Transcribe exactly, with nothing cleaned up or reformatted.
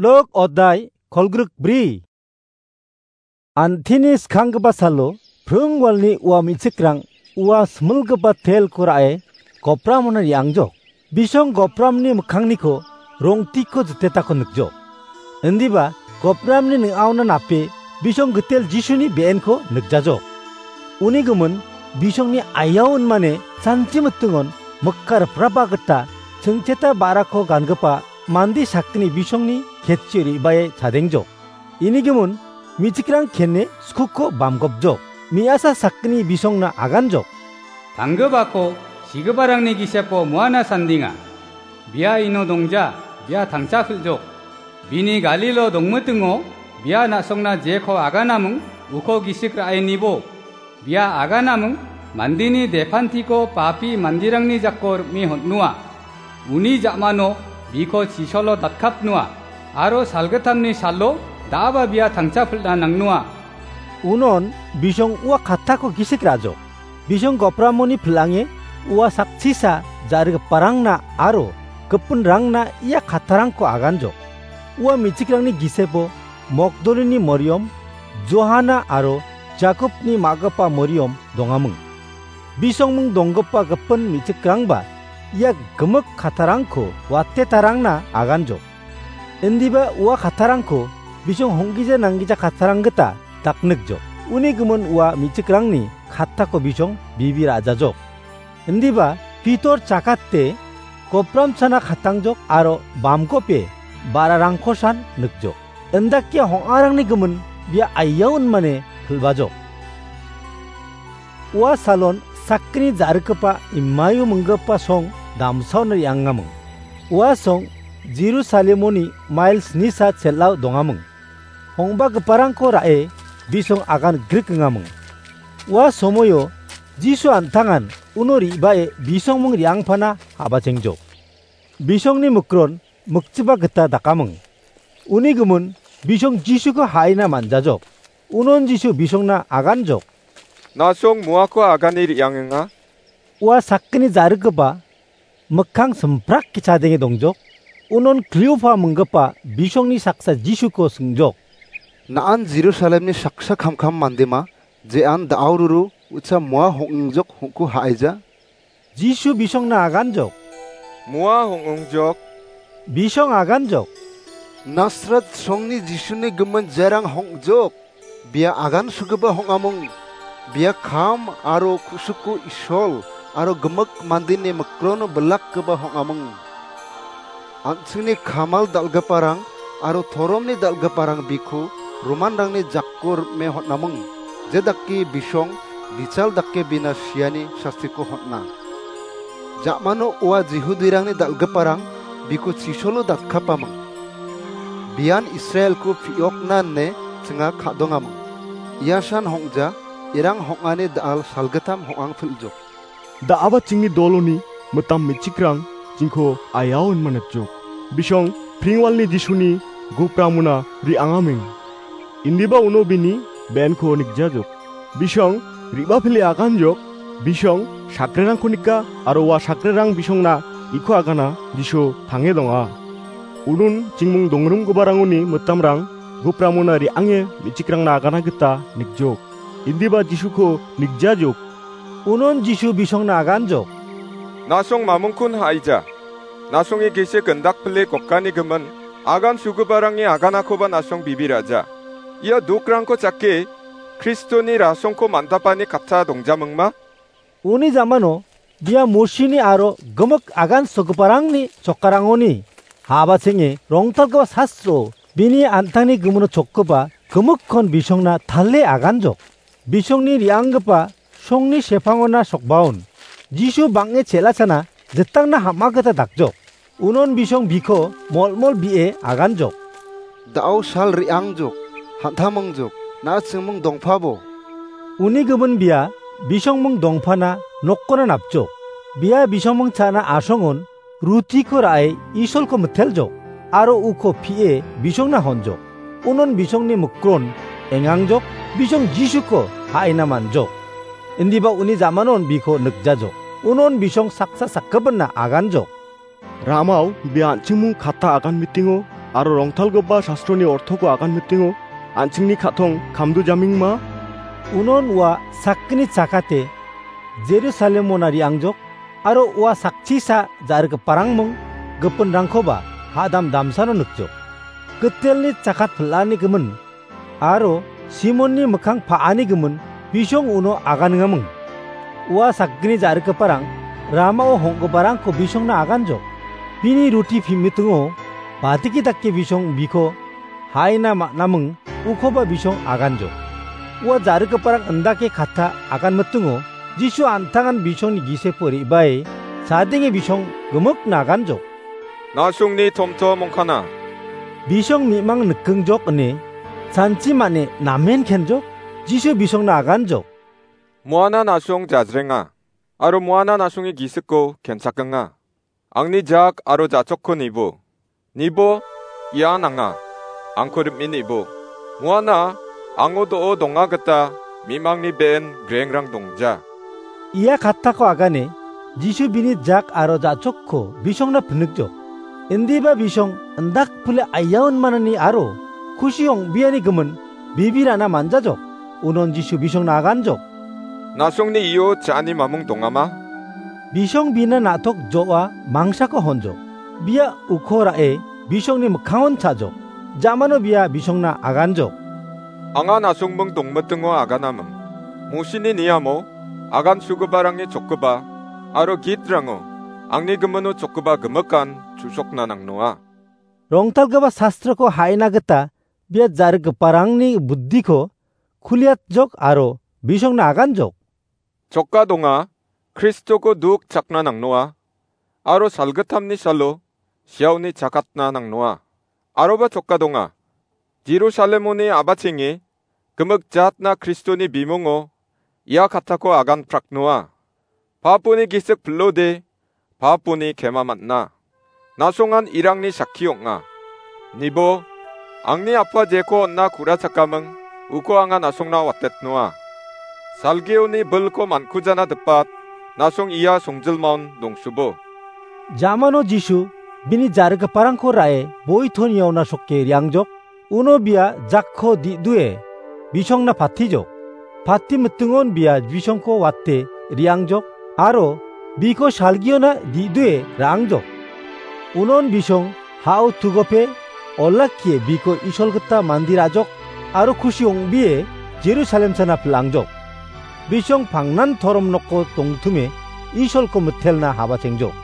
Luk odai kolgrik bri. Antini skanggipa salo pring walni ua me·chikrang ua similgipa telko ra·e gopramona re·angjok. Bisong gopramni mikkangniko rongtiko jitetako nikjok. Indiba gopramni ning·aona nape bisong gitel Jisuni be·enko nikjajok. Uni gimin bisongni ayao inmane chanchi mitingon mikka riprapa gita chingcheta ba·rako gangipa mande sakgni bisongni ketchio re·bae chadengjok. Ini gimin me·chikrang kene skuko bamgopjok. Me·asa sakgni bisongna aganjok. Tanggipako sigiparangni gisepo muana sandinga. Bia ino dongja, bia tangcha pil·jok. Bini Galilo dongmitingo bia na·songna jeko aganaming uko gisik ra·e nibo. Bia aganaming mandeni depantiko papi manderangni jako rim·e hon·noa. Uni ja·mano biko chisolo datkapnoa, aro salgittamni salo da·aba bia tangcha pil·na nangnoa. Unon bisong ua kattako gisik ra·jok. Bisong gopramoni pil·ange ua sakchisa ja·rigiparangna aro gipinrangna ia kattarangko aganjok. Ua me·chikrangni gisepo Mogdolini Moriom, Johana aro Jakobni ma·gipa Moriom dongaming. Bisongming donggipa gipin me·chikrangba ia gimik kattarangko watetarangna aganjok. Indiba ua kattarangko bisong honggija nanggija kattarang gita daknikjok. Uni gimin ua me·chikrangni kattako bisong bibi ra·jajok. Indiba Pitor chakate gopramchana katangjok aro bamgope ba·rarangkosan nikjok. Indakia hong·arangni gimin bia aiaon mane pil·bajok. Ua salon sakgni ja·rikgipa Imaio minggipa song damsaon re·angaming. Ua song Jerusalemoni mail snisa chel·ao dongaming. Hongbagiparangko ra·e bisong agan grikengaming. Ua somoio Jisu an·tangan uno re·bae bisongming re·angpana habachengjok. Bisongni mikron mikchiba gita dakaming. Uni gimin bisong Jisuko ha·ina man·jajok. Unon Jisu bisongna aganjok. Na·song muako agane re·angenga. Ua sakgni ja·rikgipa mikkang simprak ke·chadenge dongjok. Unon Kliopa minggipa bisongni saksa Jisuko singjok. Na·an Jerusalemni saksa kamkam mandema, je an da·aururu ucha mua hong·ingjok hongko ha·aija? Jisu bisongna aganjok. Mua hong·ongjok. Bisong aganjok. Nasret songni Jisuni gimin jerang hong·jok. Bia agan sugipa hong·amung. Bia kam aro ku·suku Isol aro gimik mandeni mikrono bilakgipa hong·amung. An·chingni kamal dal·giparang aro toromni dal·giparang biko Romanrangni jako rim·e hon·amung. Je dake bisong bichal dake bina siani sastiko hon·a. Ja·mano ua Jihudirangni dal·giparang biko chisolo datkapamung. Bian Israelko pi·okna ine chinga ka·dongamung. Iasan hong·ja, irang hong·ani da·al salgittam hong·ang pil·jok. Da·aba chingni doloni mitam me·chikrang jingko ayao inmanatjok. Bisong pringwalni Jisuni gopramona re·angameng. Indiba uno bini benko nikjajok. Bisong re·bapile aganjok. Bisong sakrerangko nika aro ua sakrerang bisongna iko agana Jisu tange donga. Unun chingmung dongrimgiparangoni mitamrang gopramona re·ange me·chikrangna agana gita nikjok. Indiba Jisuko nikjajok. Unon Jisu bisongna aganjok. Na·song mamungkun ha·ija. Na·songe gisik indakpile gokani gimin agan sugiparangni aganakoba na·song bibiraja. Ia dokrangko chake Kristoni rasongko man·dapani katta dongjamingma? Uni jamano bia Mosini aro gimik agan sugiparangni chokarangoni habachenge rongtalgipa sastro bini an·tangni gimino chokgipa gimikkon bisongna tale aganjok. Bisongni re·anggipa songni sepangona sokbaon Jisu bang·e chel·achana jitangna ham·a gita dakjok. Unon bisong biko molmol bi·e aganjok. Da·o sal re·angjok, han·tamongjok, na·a chingmung dongpabo. Uni gimin bia bisongmung dongpana nokkona napjok. Bia bisongmung cha·na asongon rutiko ra·e Isolko miteljok, aro uko pi·e bisongna honjok. Unon bisongni mikron engangjok, bisong Jisuko ha·ina manjok. Indiba uni jamanon biko nikjajok. Unon bisong saksa sakgipinna aganjok. Ramao bia an·chingmung katta agan mitingo aro rongtalgipa sastroni ortoko aganmitingo an·chingni ka·tong kamdujamingma? Unon ua sakgni chakate Jerusalemona re·angjok, aro ua sakchisa ja·rigiparangming gipinrangkoba ha·dam damsano nikjok. Gitelni chakat pil·ani gimin aro Simonni mikkang pa·ani gimin bisong uno aganengaming. Ua sakgni ja·rigiparang ramao hong·giparangko bisongna aganjok. Bini ruti pimitingo badiki dake bisong biko haina ma·naming ukoba bisong aganjok. Ua ja·rigiparang indake katta aganmitingo Jisu an·tangan bisongni gisepo re·bae chadenge bisong gimikna aganjok. Na·songni tomtom ongkana. Bisong mi·mang nikingjok ine sanchi mane namen kenjok, Jisu bisongna aganjok. Moana na·song jajrenga, aro moana na·songni gisiko kenchakenga. Angni jak aro ja·chokko nibo. Nibo, ian anga. Angko rim·e nibo. Moana, ango do·o donga gita mi·mangni be·en grengrang dongja. Ia kattako agane, Jisu bini jak aro ja·chokko bisongna pinikjok. Indiba bisong indak pile aiaon manani aro kusi ong·biani gimin bibirana manjajok. Unon Jisu bisongna aganjok. Na·songni io cha·ani mamung dongama? Bisong bina na·tok jo·a mangsako honjok. Bia uko ra·e bisongni mikkangon cha·jok. Jamano bia bisongna aganjok. Anga na·songming dongmitingo aganaming. Mosini niamo agansugiparangni chokgipa aro gitrango angni gimino chokgipa gimikan chu·sokna nangnoa. Rongtalgipa sastroko ha·ina gita bia ja·rigiparangni buddiko kuliatjok aro bisongna aganjok. Choka donga, Kristoko duk chakna nangnoa, aro salgittamni salo siaoni chakatna nangnoa. Aroba choka donga, Jerusalemoni a·bachenge gimik jatna Kristoni bimungo ia kattako agan praknoa. Paponi gisik pil·ode, paponi kema man·a. Na·songan irangni sakki ong·a. Nibo, angni apa jeko on·na ku·rachakaming, uko anga na·songna watetnoa. Salgioni bilko mankujana dipat, na·song ia songjilmaon dongsubo. Jamano Jisu bini ja·rigiparangko ra·e boi toniaona sokke re·angjok. Uno bia jakko di·due bisongna patijok. Pati mitingon bia bisongko wate re·angjok aro biko salgiona di·due ra·angjok. Unon bisong ha·o tugope olakkie biko Isol gita mande ra·jok aro kusi ong·bie Jerusalem sana pil·angjok. Bisong pangnan torom noko dongtime Isolko mitelna haba chengjok.